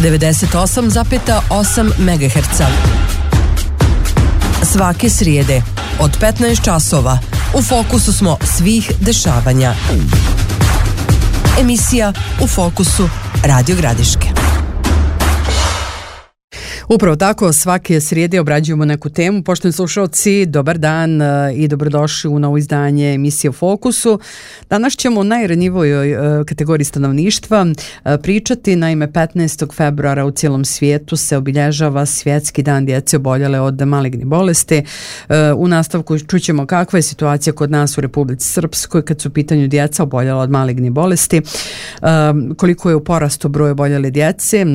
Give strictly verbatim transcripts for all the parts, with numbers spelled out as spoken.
devedeset osam zarez osam megaherca. Svake srijede od petnaest časova u fokusu smo svih dešavanja. Emisija U fokusu Radio Gradiške. Upravo tako, svake srijede obrađujemo neku temu. Poštovani slušalci, dobar dan i dobrodošli u novo izdanje emisije U fokusu. Danas ćemo o najranjivojoj kategoriji stanovništva pričati. Naime, petnaestog februara u cijelom svijetu se obilježava Svjetski dan djece oboljele od malignih bolesti. U nastavku čućemo kakva je situacija kod nas u Republici Srpskoj kad su u pitanju djeca oboljela od malignih bolesti, koliko je u porastu broj oboljele djece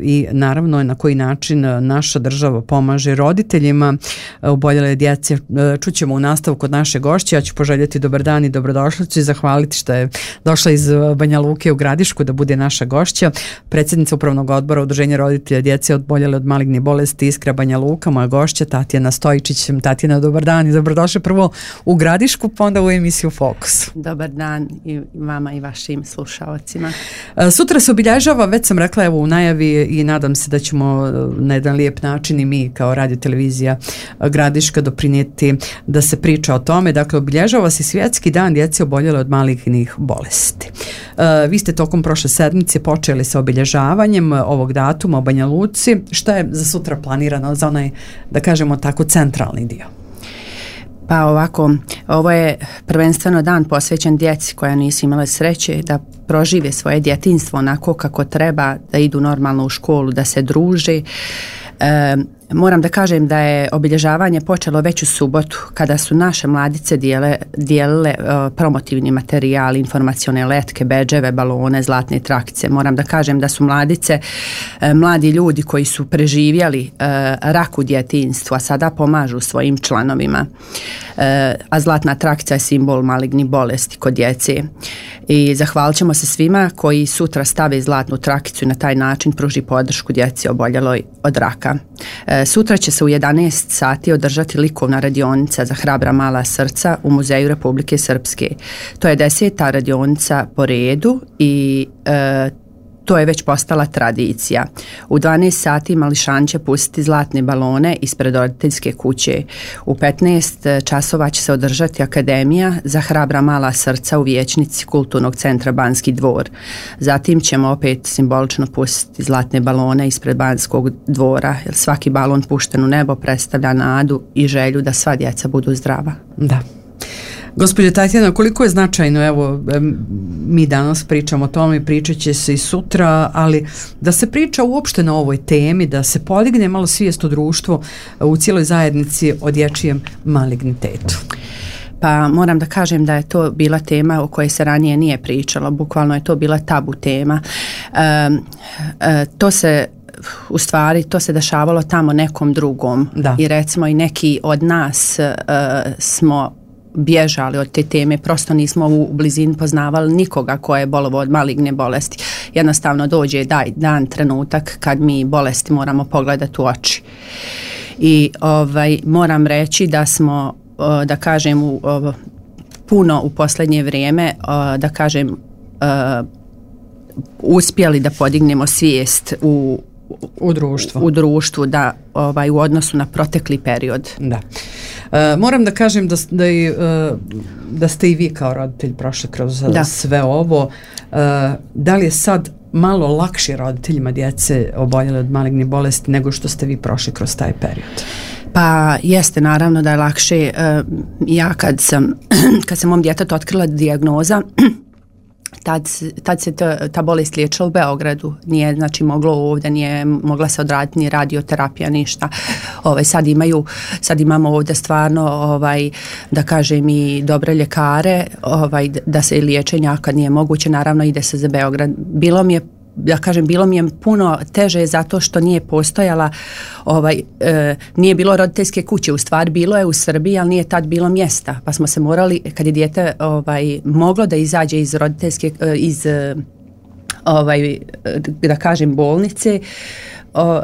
i naravno na koji način naša država pomaže roditeljima oboljele djece. Čućemo u nastavku od naše gošće. Ja ću poželjeti dobar dan i dobrodošlicu i zahvaliti što je došla iz Banja Luke u Gradišku da bude naša gošća. Predsjednica Upravnog odbora Udruženja roditelja djece oboljele od malignih bolesti Iskra Banja Luka, moja gošća Tatjana Stojičić. Tatjana, dobar dan i dobrodošli prvo u Gradišku, pa onda u emisiju Fokus. Dobar dan i vama i vašim slušalcima. Sutra se obilježava, već sam rekla evo u najavi i nadam se da ćemo na jedan lijep način i mi kao radio televizija Gradiška doprinijeti da se priča o tome. Dakle, obilježava se Svjetski dan djece oboljele od malignih bolesti. Uh, vi ste tokom prošle sedmice počeli sa obilježavanjem ovog datuma u Banja Luci. Šta je za sutra planirano za onaj, da kažemo tako, centralni dio? Pa ovako, ovo je prvenstveno dan posvećen djeci koja nisu imale sreće da prožive svoje djetinjstvo onako kako treba, da idu normalno u školu, da se druže. E, moram da kažem da je obilježavanje počelo već u subotu kada su naše mladice dijele, dijelile uh, promotivni materijal, informacione letke, bedževe, balone, zlatne trakice. Moram da kažem da su mladice, uh, mladi ljudi koji su preživjeli uh, rak u djetinjstvu, a sada pomažu svojim članovima. Uh, a zlatna trakica je simbol malignih bolesti kod djece. I zahvalit ćemo se svima koji sutra stave zlatnu trakicu i na taj način pruži podršku djeci oboljeloj od raka. Uh, Sutra će se u jedanaest sati održati likovna radionica za hrabra mala srca u Muzeju Republike Srpske. To je deseta radionica po redu i e, to je već postala tradicija. U dvanaest sati mališan će pustiti zlatne balone ispred roditeljske kuće. U petnaest časova će se održati akademija za hrabra mala srca u vijećnici Kulturnog centra Banski dvor. Zatim ćemo opet simbolično pustiti zlatne balone ispred Banskog dvora, jer svaki balon pušten u nebo predstavlja nadu i želju da sva djeca budu zdrava. Da. Gospođo Tatjana, koliko je značajno, evo, mi danas pričamo o tome i pričat će se i sutra, ali da se priča uopšte na ovoj temi, da se podigne malo svijest u društvu, u cijeloj zajednici o dječjem malignitetu. Pa moram da kažem da je to bila tema o kojoj se ranije nije pričalo, bukvalno je to bila tabu tema. E, e, to se u stvari to se dešavalo tamo nekom drugom. Da. I recimo i neki od nas e, smo bježali od te teme, prosto nismo u blizini poznavali nikoga ko je bolovao od maligne bolesti. Jednostavno dođe daj, dan, trenutak kad mi bolesti moramo pogledati u oči. I ovaj, moram reći da smo, da kažem, u, puno u posljednje vrijeme, da kažem, uspjeli da podignemo svijest u u društvu. U društvu, da, ovaj, u odnosu na protekli period. Da. E, moram da kažem da, da, i, da ste i vi kao roditelj prošli kroz da. sve ovo. E, da li je sad malo lakše roditeljima djece oboljele od malignih bolesti nego što ste vi prošli kroz taj period? Pa jeste, naravno da je lakše. E, ja kad sam, kad sam mom djetetu otkrila dijagnoza, Tad, tad se ta, ta bolest liječila u Beogradu, nije znači moglo ovdje, nije mogla se odraditi ni radioterapija, ništa. Ovaj, sad, imaju, sad imamo ovdje stvarno, ovaj, da kažem, i dobre ljekare, ovaj, da se liječenja kad nije moguće, naravno ide se za Beograd. Bilo mi je ja kažem, bilo mi je puno teže zato što nije postojala, ovaj, e, nije bilo roditeljske kuće, u stvari bilo je u Srbiji, ali nije tad bilo mjesta, pa smo se morali, kad je dijete ovaj, moglo da izađe iz roditeljske, iz, ovaj, da kažem, bolnice, o,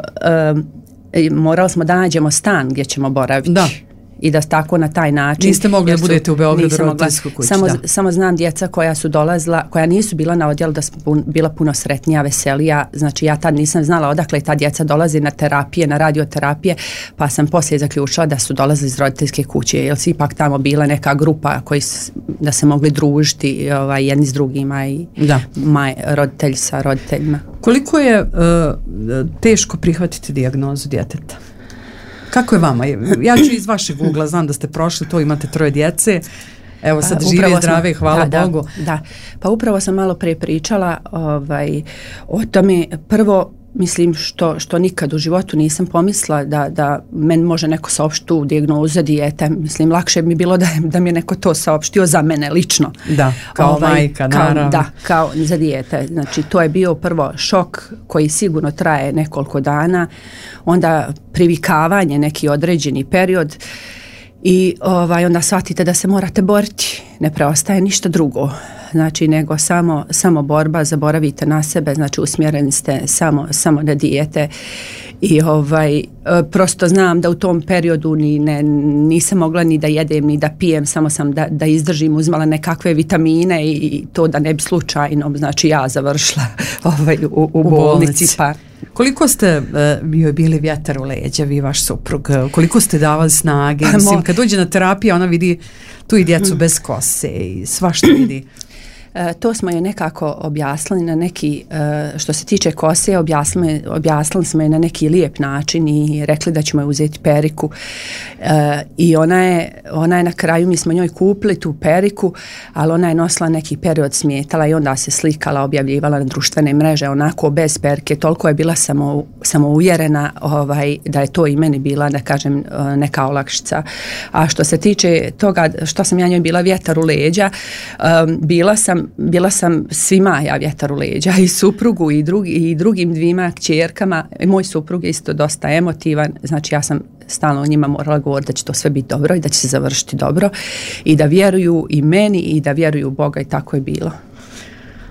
e, morali smo da nađemo stan gdje ćemo boraviti. Da. i da tako na taj način. Niste mogli da budete u Beogradu roditeljskoj kući. Samo, samo znam djeca koja su dolazila, koja nisu bila na odjelu, da sam bila puno sretnija, veselija. Znači ja tad nisam znala odakle ta djeca dolazi na terapije, na radioterapije, pa sam poslije zaključila da su dolazili iz roditeljske kuće, jer si ipak tamo bila neka grupa koji s, da se mogli družiti ovaj, jedni s drugima i da. Maj, roditelji sa roditeljima. Koliko je uh, teško prihvatiti dijagnozu djeteta? Kako je vama? Ja ću iz vašeg ugla, znam da ste prošli to, imate troje djece, evo sad žive i zdrave, hvala da, Bogu. Da, da, pa upravo sam malo prije pričala ovaj, o tome. Prvo, mislim što, što nikad u životu nisam pomislila da, da meni može neko saopštiti tu dijagnozu za dijete. Mislim, lakše mi bilo da, da mi je neko to saopštio za mene lično. Da, kao ovaj, majka, naravno. Kao, da, kao za dijete. Znači, to je bio prvo šok koji sigurno traje nekoliko dana, onda privikavanje neki određeni period i ovaj, onda shvatite da se morate boriti. Ne preostaje ništa drugo. Znači, nego samo, samo borba, zaboravite na sebe, znači usmjereni ste samo, samo na dijete i ovaj, prosto znam da u tom periodu ni, ne, nisam mogla ni da jedem, ni da pijem, samo sam da, da izdržim, uzmala nekakve vitamine i, i to da ne bi slučajno, znači ja završila ovaj, u, u, u bolnici. Pa. Koliko ste uh, bili vjetar u leđa, vi vaš suprug, koliko ste davali snage, mislim, kad dođe na terapiju, ona vidi tu i djecu bez kose i svašta vidi. E, to smo je nekako objasnili na neki, e, što se tiče kose, objasnili, objasnili smo je na neki lijep način i rekli da ćemo je uzeti periku. E, I ona je, ona je na kraju, mi smo njoj kupili tu periku, ali ona je nosila neki period, smetala i onda se slikala, objavljivala na društvene mreže, onako bez perike, toliko je bila samo, samo uvjerena ovaj, da je to i meni bila, da kažem, neka olakšica. A što se tiče toga što sam ja njoj bila vjetar u leđa, um, bila sam bila sam svima ja vjetar u leđa, i suprugu i, drugi, i drugim dvima kćerkama. Moj suprug je isto dosta emotivan, znači ja sam stalno njima morala govoriti da će to sve biti dobro i da će se završiti dobro i da vjeruju i meni i da vjeruju u Boga, i tako je bilo.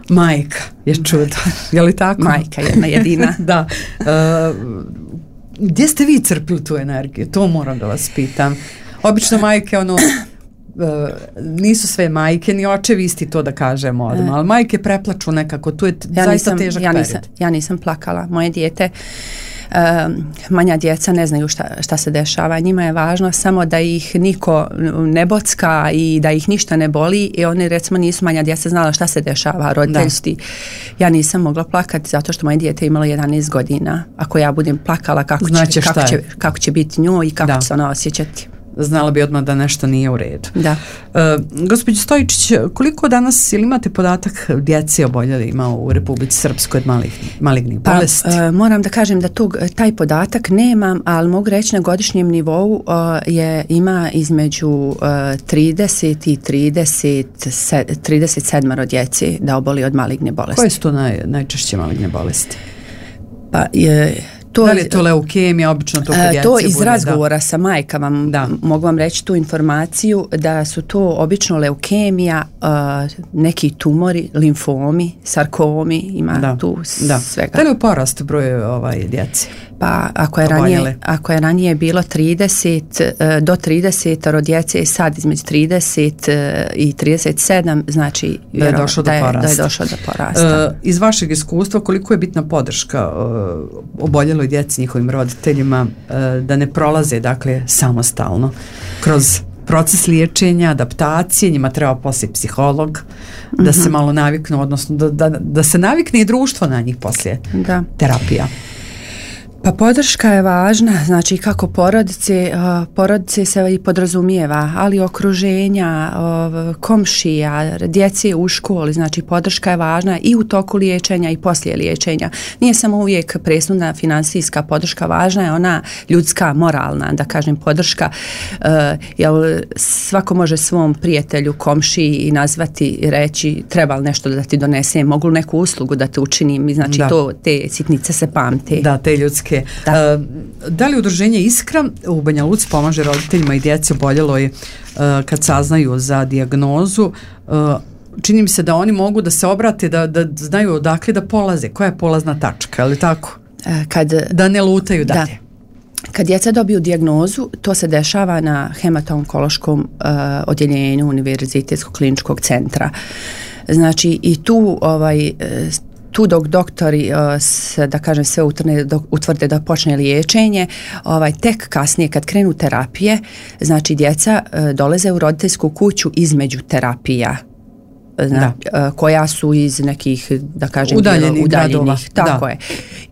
Majka je čudo, je li tako? Majka jedna jedina. Da. Uh, gdje ste vi crpili tu energiju? To moram da vas pitam. Obično majke, ono, Uh, nisu sve majke ni očevi isti, to da kažemo odmah, ali majke preplaču nekako, tu je t- ja zaista nisam, težak ja period. nisam, ja nisam plakala, moje dijete, uh, manja djeca ne znaju šta, šta se dešava, njima je važno samo da ih niko ne bocka i da ih ništa ne boli, i oni recimo nisu manja djeca znala šta se dešava, roditeljski. Ja nisam mogla plakati zato što moje dijete imalo jedanaest godina, ako ja budem plakala kako, znači, će, kako, će, kako će biti njoj i kako da. će se ona osjećati. Znala bi odmah da nešto nije u redu. Da. Uh, gospođo Stojičić, koliko danas, ili imate podatak djece oboljeli ima u Republici Srpskoj od malignih, malignih pa, bolesti? Uh, moram da kažem da tog, taj podatak nemam, ali mogu reći na godišnjem nivou uh, je, ima između uh, trideset i trideset sedam djece da oboli od maligne bolesti. Koje su to naj, najčešće maligne bolesti? Pa je... To, da li je to leukemija, obično to kod djece? To iz bude, razgovora da. sa majkama da. mogu vam reći tu informaciju da su to obično leukemija, uh, neki tumori, limfomi, sarkomi, ima da. tu da. svega. Da li je porast broj ovaj, djece? Pa ako je, ranije, ako je ranije bilo trideset do trideset djece, sad između trideset i trideset sedam, znači da je došlo do porasta. Da je došlo do porasta. Uh, iz vašeg iskustva, koliko je bitna podrška uh, oboljeloj djeci, njihovim roditeljima, uh, da ne prolaze, dakle, samostalno kroz proces liječenja, adaptacije, njima treba poslije psiholog, da mm-hmm. se malo naviknu, odnosno da, da, da se navikne i društvo na njih poslije da. terapija. Pa podrška je važna, znači kako porodice, porodice se i podrazumijeva, ali okruženja, komšija, djece u školi, znači podrška je važna i u toku liječenja i poslije liječenja. Nije samo uvijek presudna finansijska podrška, važna je ona ljudska, moralna, da kažem, podrška, jer svako može svom prijatelju, komšiji i nazvati i reći treba li nešto da ti donesem, mogu li neku uslugu da te učinim, znači da. to, te sitnice se pamte. Da, te ljudske. Da. Uh, da li udruženje Iskra u Banja Luci pomaže roditeljima i djeci oboljeloj uh, kad saznaju za dijagnozu? Uh, čini mi se da oni mogu da se obrate, da, da znaju odakle da polaze, koja je polazna tačka, ali tako? Kad, da ne lutaju dalje. kad djeca dobiju dijagnozu, to se dešava na hemato-onkološkom uh, odjeljenju Univerzitetskog kliničkog centra. Znači i tu ovaj tu dok doktori uh, da kažem sve utvrde, dok, utvrde da počne liječenje, ovaj tek kasnije kad krenu terapije, znači djeca uh, dolaze u roditeljsku kuću između terapija. Zna, uh, koja su iz nekih da kažem udaljenih, udaljenih tako da. je.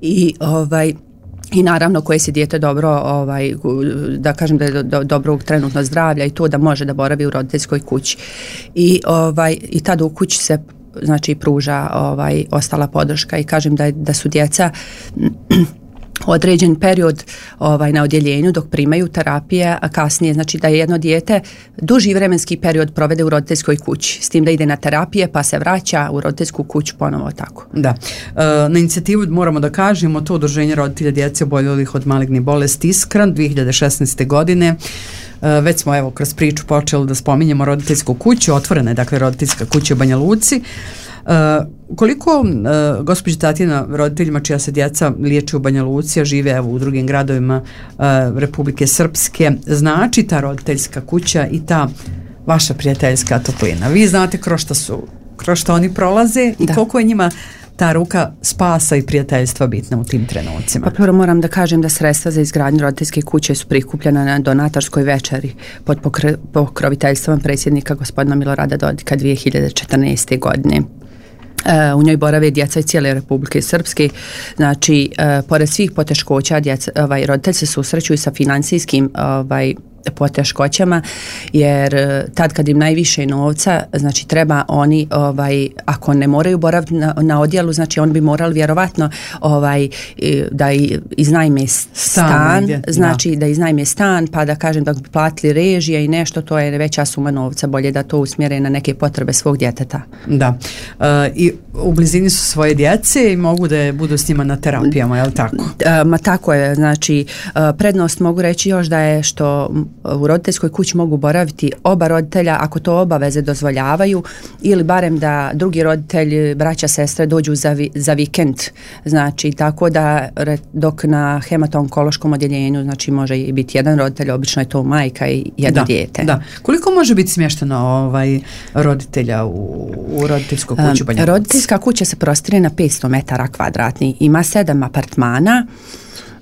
I ovaj i naravno koje se dijete dobro ovaj da kažem da je do, do, dobro trenutno zdravlja i to da može da boravi u roditeljskoj kući. I ovaj i tad u kući se znači pruža ovaj ostala podrška i kažem da da su djeca određen period ovaj na odjeljenju dok primaju terapije, a kasnije znači da je jedno dijete duži vremenski period provede u roditeljskoj kući, s tim da ide na terapije pa se vraća u roditeljsku kuću ponovo tako. Da. E, na inicijativu moramo da kažemo to udruženje roditelja djece oboljelih od malignih bolesti Iskran dvije hiljade šesnaeste. godine. E, već smo evo kroz priču počeli da spominjemo roditeljsku kuću, otvorena je dakle roditeljska kuća u Banja Luci. Uh, koliko uh, gospođa Tatjana roditeljima čija se djeca liječe u Banja Luci, a žive evo u drugim gradovima uh, Republike Srpske, znači ta roditeljska kuća i ta vaša prijateljska toplina? Vi znate kroz šta su, kroz šta oni prolaze i da. Koliko je njima ta ruka spasa i prijateljstva bitna u tim trenucima? Pa prvo moram da kažem da sredstva za izgradnju roditeljske kuće su prikupljena na donatorskoj večeri pod pokr- pokroviteljstvom predsjednika gospodina Milorada Dodika dvije hiljade četrnaeste. godine. Uh, u njoj borave djeca iz cijele Republike Srpske, znači uh, pored svih poteškoća djeca, ovaj, roditelji se susreću i sa financijskim ovaj, poteškoćama, jer uh, tad kad im najviše novca, znači treba oni, ovaj, ako ne moraju boraviti na, na odjelu, znači oni bi morali vjerovatno ovaj, da iznajme stan, stan znači da. da iznajme stan, pa da kažem da bi platili režije i nešto, to je veća suma novca, bolje da to usmjere na neke potrebe svog djeteta. Da. Uh, i u blizini su svoje djece i mogu da budu s njima na terapijama, je li tako? Uh, ma tako je, znači uh, prednost mogu reći još da je što u roditeljskoj kući mogu boraviti oba roditelja ako to obaveze dozvoljavaju ili barem da drugi roditelj, braća, sestre dođu za, vi, za vikend, znači tako da dok na hemato-onkološkom odjeljenju znači može i biti jedan roditelj, obično je to majka i jedno da, dijete. Da. Koliko može biti smješteno ovaj roditelja u, u roditeljskoj kući? Um, roditeljska kuća se prostire na petsto metara kvadratnih, ima sedam apartmana.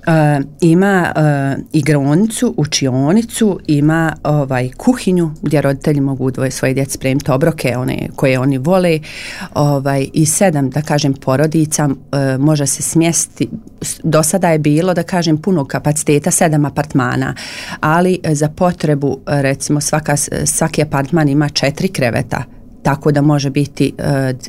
Uh, ima uh, igronicu, učionicu, ima ovaj kuhinju gdje roditelji mogu dvoje svoje djece spremiti obroke one koje oni vole, ovaj, i sedam da kažem porodica uh, može se smjestiti. Do sada je bilo da kažem punog kapaciteta sedam apartmana, ali za potrebu recimo svaka, svaki apartman ima četiri kreveta, tako da može biti uh,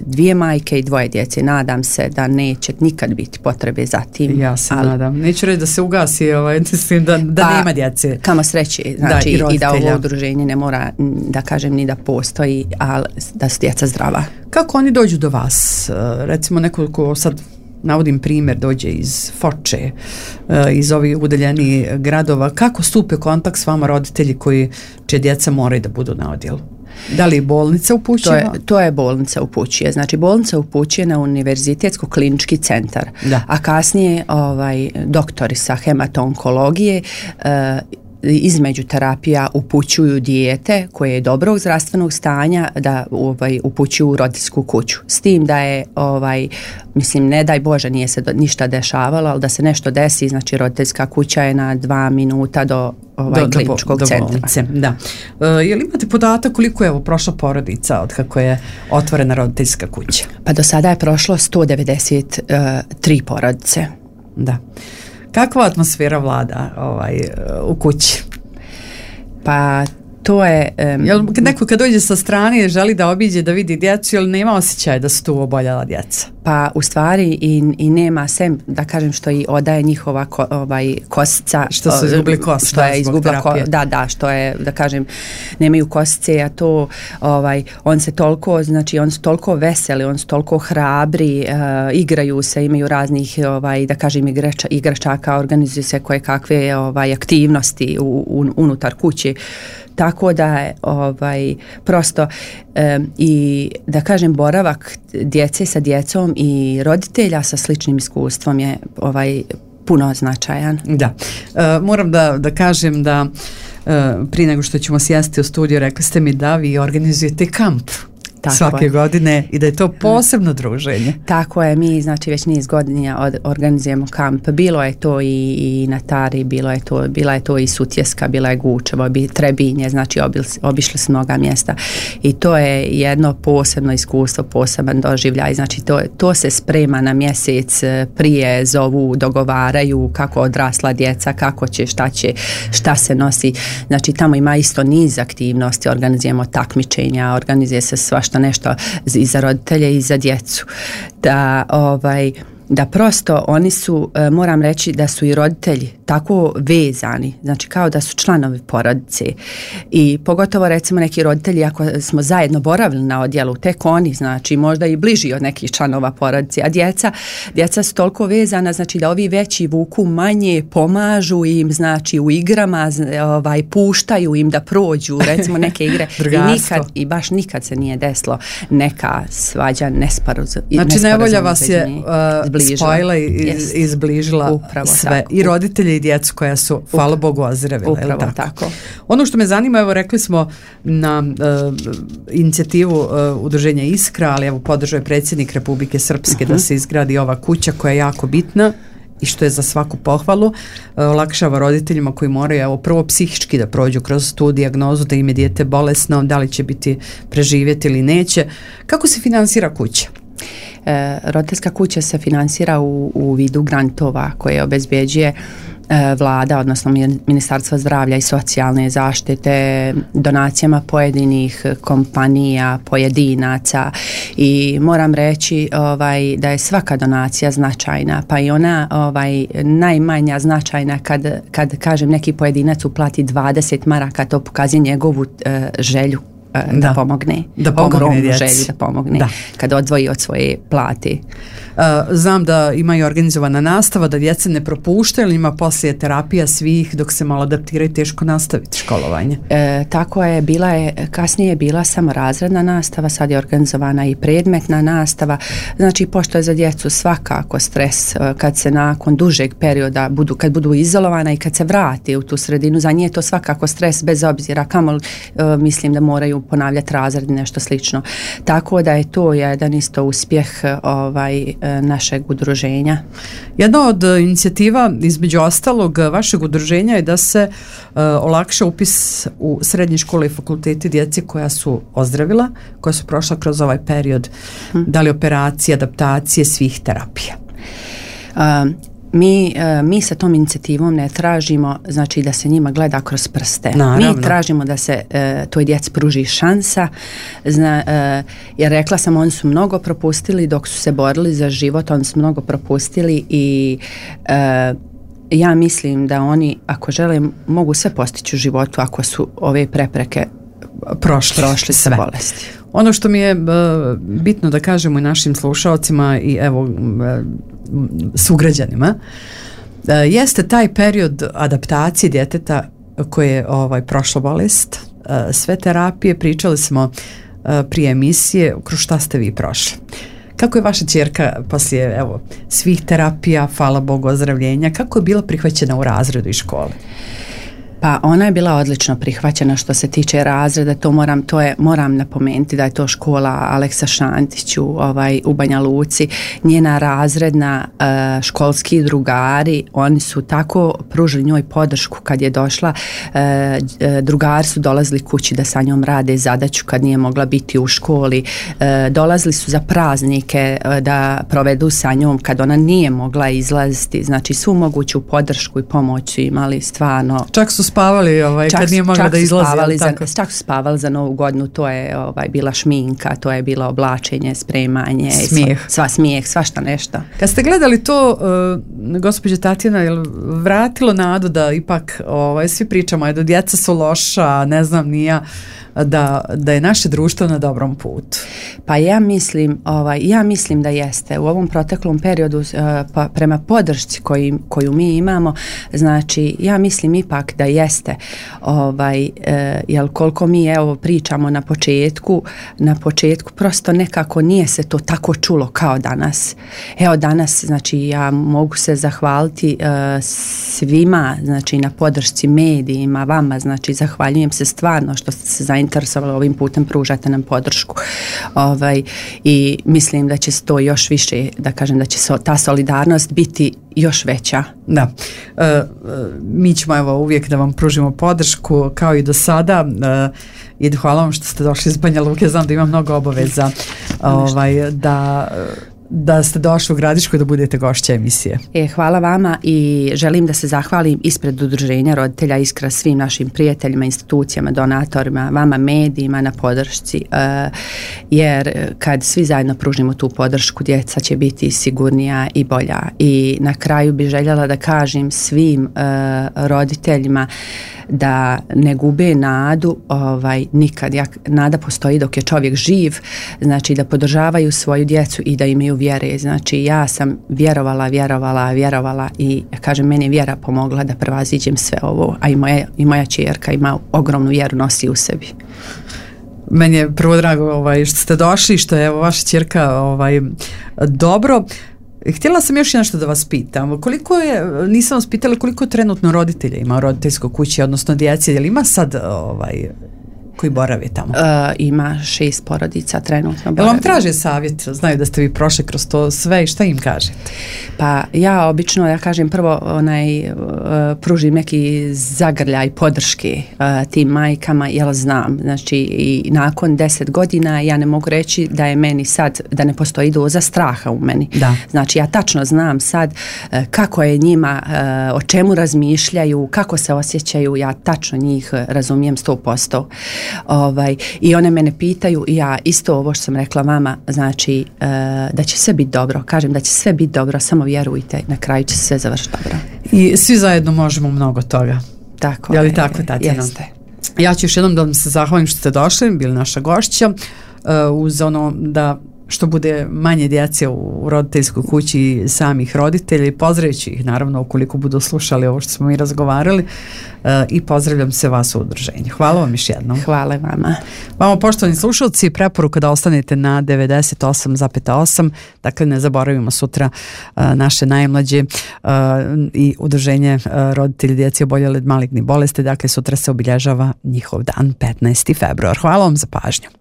dvije majke i dvoje djece. Nadam se da neće nikad biti potrebe za tim. Ja se ali, nadam. Neću reći da se ugasi, ovaj, da, da pa, nema djece. Kamo sreće, znači da, i, i da ovo udruženje ne mora da kažem ni da postoji, ali da su djeca zdrava. Kako oni dođu do vas? Recimo neko ko sad navodim primjer, dođe iz Foče, iz ovih udaljenih gradova. Kako stupe kontakt s vama roditelji koji će djeca moraju da budu na odjelu? Da li bolnica upućuje? To je, to je bolnica upućuje. Znači bolnica upućuje na Univerzitetsko klinički centar. Da. A kasnije ovaj, doktori sa hemato-onkologije uh, između terapija upućuju dijete koje je dobrog zdravstvenog stanja da ovaj, upućuju u roditeljsku kuću. S tim da je, ovaj, mislim, ne daj Bože, nije se do, ništa dešavalo, ali da se nešto desi, znači roditeljska kuća je na dva minuta do ovaj, do, kliničkog do, do centra. Da. Uh, je li imate podatak koliko je ovo prošla porodica od kako je otvorena roditeljska kuća? Pa do sada je prošlo sto devedeset tri porodice. Da. Kakva atmosfera vlada ovaj, u kući? Pa to je... Um, jel neko kad dođe sa strane želi da obiđe, da vidi djecu, jel nema osjećaja da su tu oboljela djeca? Pa u stvari i, i nema sem, da kažem, što i odaje njihova ko, ovaj, kosica. Što su izgubili kost, što je izgubila ko, da, da, što je, da kažem, nemaju kosice, a to, ovaj, on se toliko, znači, on su toliko veseli, on su toliko hrabri, uh, igraju se, imaju raznih, ovaj, da kažem, igrača, igračaka, organizuju se koje kakve ovaj, aktivnosti u, u, unutar kuće. Tako da je ovaj, prosto um, i da kažem boravak djece sa djecom i roditelja sa sličnim iskustvom je ovaj puno značajan. Da, e, moram da, da kažem da e, prije nego što ćemo sjesti u studiju, rekli ste mi da vi organizujete kamp. Tako svake je. godine i da je to posebno druženje. Tako je, mi znači već niz godina od, organizujemo kamp. Bilo je to i, i na Tari, bilo je to, bila je to i Sutjeska, bila je Gučevo, Trebinje, znači obil, obišli smo mnoga mjesta i to je jedno posebno iskustvo, poseban doživljaj. Znači to, to se sprema na mjesec prije, zovu, dogovaraju kako odrasla djeca, kako će, šta će, šta se nosi. Znači tamo ima isto niz aktivnosti, organizujemo takmičenja, organizuje se svašta nešto i za roditelje i za djecu. Da ovaj da prosto oni su, moram reći da su i roditelji tako vezani, znači kao da su članovi porodice i pogotovo recimo neki roditelji ako smo zajedno boravili na odjelu, tek oni znači možda i bliži od nekih članova porodice, a djeca, djeca su toliko vezana, znači da ovi veći vuku manje, pomažu im znači u igrama, ovaj, puštaju im da prođu recimo neke igre i, nikad, i baš nikad se nije desilo neka svađa, nesporazum. Znači nevolja vas je uh, spojila i iz, izbližila upravo sve tako. I roditelji i djecu koja su, hvala Bogu, ozdravila. Upravo tako? tako. Ono što me zanima, evo rekli smo na uh, inicijativu uh, udruženja Iskra, ali evo podržao je predsjednik Republike Srpske uh-huh. da se izgradi ova kuća koja je jako bitna i što je za svaku pohvalu, uh, olakšava roditeljima koji moraju evo prvo psihički da prođu kroz tu dijagnozu da im je dijete bolesno, da li će biti preživjeti ili neće. Kako se finansira kuća? E, roditeljska kuća se finansira u, u vidu grantova koje obezbjeđuje e, vlada, odnosno Ministarstvo zdravlja i socijalne zaštite, donacijama pojedinih kompanija, pojedinaca i moram reći ovaj, da je svaka donacija značajna, pa i ona ovaj, najmanja značajna kad, kad kažem neki pojedinac uplati dvadeset maraka, to pokazuje njegovu e, želju Da, da pomogne, da pomogne djeci. Želju da pomogne da. Kad odvoji od svoje plate. Uh, znam da ima i organizovana nastava, da djece ne propuštaju, ali ima poslije terapija svih dok se malo adaptiraju, teško nastaviti školovanje. E, tako je, bila je, kasnije je bila samo razredna nastava, sad je organizovana i predmetna nastava, znači pošto je za djecu svakako stres kad se nakon dužeg perioda budu, kad budu izolovana i kad se vrati u tu sredinu, za nje je to svakako stres bez obzira kamo uh, mislim da moraju ponavljati razred i nešto slično. Tako da je to jedan isto uspjeh ovaj, našeg udruženja. Jedna od inicijativa između ostalog vašeg udruženja je da se uh, olakša upis u srednje škole i fakultete djeci koja su ozdravila, koja su prošla kroz ovaj period, hmm. da li operacije, adaptacije, svih terapija. Um, Mi, mi sa tom inicijativom ne tražimo znači da se njima gleda kroz prste. Naravno. Mi tražimo da se e, toj djeci pruži šansa. Zna, e, jer rekla sam, oni su mnogo propustili dok su se borili za život, oni su mnogo propustili i e, ja mislim da oni ako žele mogu sve postići u životu ako su ove prepreke prošli, prošli sve bolesti. Ono što mi je uh, bitno da kažemo i našim slušalcima i evo uh, sugrađanima uh, jeste taj period adaptacije djeteta koje je ovaj, prošlo bolest, uh, sve terapije, pričali smo uh, prije emisije, kroz šta ste vi prošli. Kako je vaša ćerka poslije evo, svih terapija, hvala Bogu, ozdravljenja, kako je bila prihvaćena u razredu i škole? Pa ona je bila odlično prihvaćena što se tiče razreda, to moram, to je, moram napomenuti da je to škola Aleksa Šantiću ovaj, u Banja Luci, njena razredna uh, školski drugari, oni su tako pružili njoj podršku kad je došla, uh, drugari su dolazili kući da sa njom rade zadaću kad nije mogla biti u školi, uh, dolazili su za praznike uh, da provedu sa njom kad ona nije mogla izlaziti, znači svu moguću podršku i pomoć su imali stvarno. Čak su spavali ovaj, kad nije mogla da izlazi. Spavali za, čak su spavali za Novu godinu, to je ovaj, bila šminka, to je bilo oblačenje, spremanje, smijeh. Sva, sva smijeh, svašta nešto. Kad ste gledali to, uh, gospođa Tatjana, je vratilo nadu da ipak ovaj, svi pričamo da djeca su loša, ne znam ni ja, da, da je naše društvo na dobrom putu? Pa ja mislim, ovaj, ja mislim da jeste. U ovom proteklom periodu uh, pa, prema podršci koji, koju mi imamo, znači ja mislim ipak da je jeste. Ovaj, e, jel koliko mi evo pričamo na početku, na početku prosto nekako nije se to tako čulo kao danas. Evo danas, znači ja mogu se zahvaliti e, svima, znači na podršci medijima, vama, znači zahvaljujem se stvarno što ste se zainteresovali ovim putem, pružate nam podršku. Ovaj, i mislim da će se to još više, da kažem da će so, ta solidarnost biti još veća. Da. E, e, mi ćemo evo uvijek da vam pružimo podršku kao i do sada. E, i hvala vam što ste došli iz Banja Luke, znam da imam mnogo obaveza ovaj, da da ste došli u Gradišku i da budete gošća emisije. E, hvala vama i želim da se zahvalim ispred Udruženja roditelja Iskra svim našim prijateljima, institucijama, donatorima, vama medijima na podršci, e, jer kad svi zajedno pružimo tu podršku, djeca će biti sigurnija i bolja. I na kraju bih željela da kažem svim e, roditeljima da ne gube nadu, ovaj, nikad. Ja, nada postoji dok je čovjek živ, znači da podržavaju svoju djecu i da imaju vjere. Znači ja sam vjerovala, vjerovala, vjerovala i kažem, meni je vjera pomogla da prevaziđem sve ovo, a i moja, i moja ćerka ima ogromnu vjeru, nosi u sebi. Meni je prvo drago ovaj, što ste došli, što je evo, vaša ćerka ovaj, dobro. Htjela sam još nešto da vas pitam. Koliko je, nisam vas pitala koliko trenutno roditelja ima u roditeljskoj kući, odnosno djece, je li ima sad ovaj, koji borave tamo? Uh, ima šest porodica trenutno. Jel vam traže savjet? Znaju da ste vi prošli kroz to sve i šta im kažete? Pa ja obično, ja kažem prvo onaj, uh, pružim neki zagrljaj podrške uh, tim majkama, jel znam, znači i nakon deset godina ja ne mogu reći da je meni sad, da ne postoji doza straha u meni. Da. Znači ja tačno znam sad uh, kako je njima, uh, o čemu razmišljaju, kako se osjećaju, ja tačno njih razumijem sto posto. Ovaj, i one mene pitaju i ja isto ovo što sam rekla vama, znači uh, da će sve biti dobro, kažem da će sve biti dobro, samo vjerujte, na kraju će sve završiti dobro. I svi zajedno možemo mnogo toga. Tako je. Je li tako, Tatjana? Jeste. Ja ću još jednom da vam se zahvalim što ste došli, bili naša gošća, uh, uz ono da što bude manje djece u roditeljskoj kući samih roditelja i pozdravit ih naravno ukoliko budu slušali ovo što smo mi razgovarali uh, i pozdravljam se vas u udruženju. Hvala vam još jednom. Hvala vama. Vama poštovani slušalci, preporuka da ostanete na devedeset osam zarez osam, dakle ne zaboravimo sutra uh, naše najmlađe uh, i udruženje uh, roditelji djece oboljele od malignih bolesti, dakle sutra se obilježava njihov dan petnaesti februar. Hvala vam za pažnju.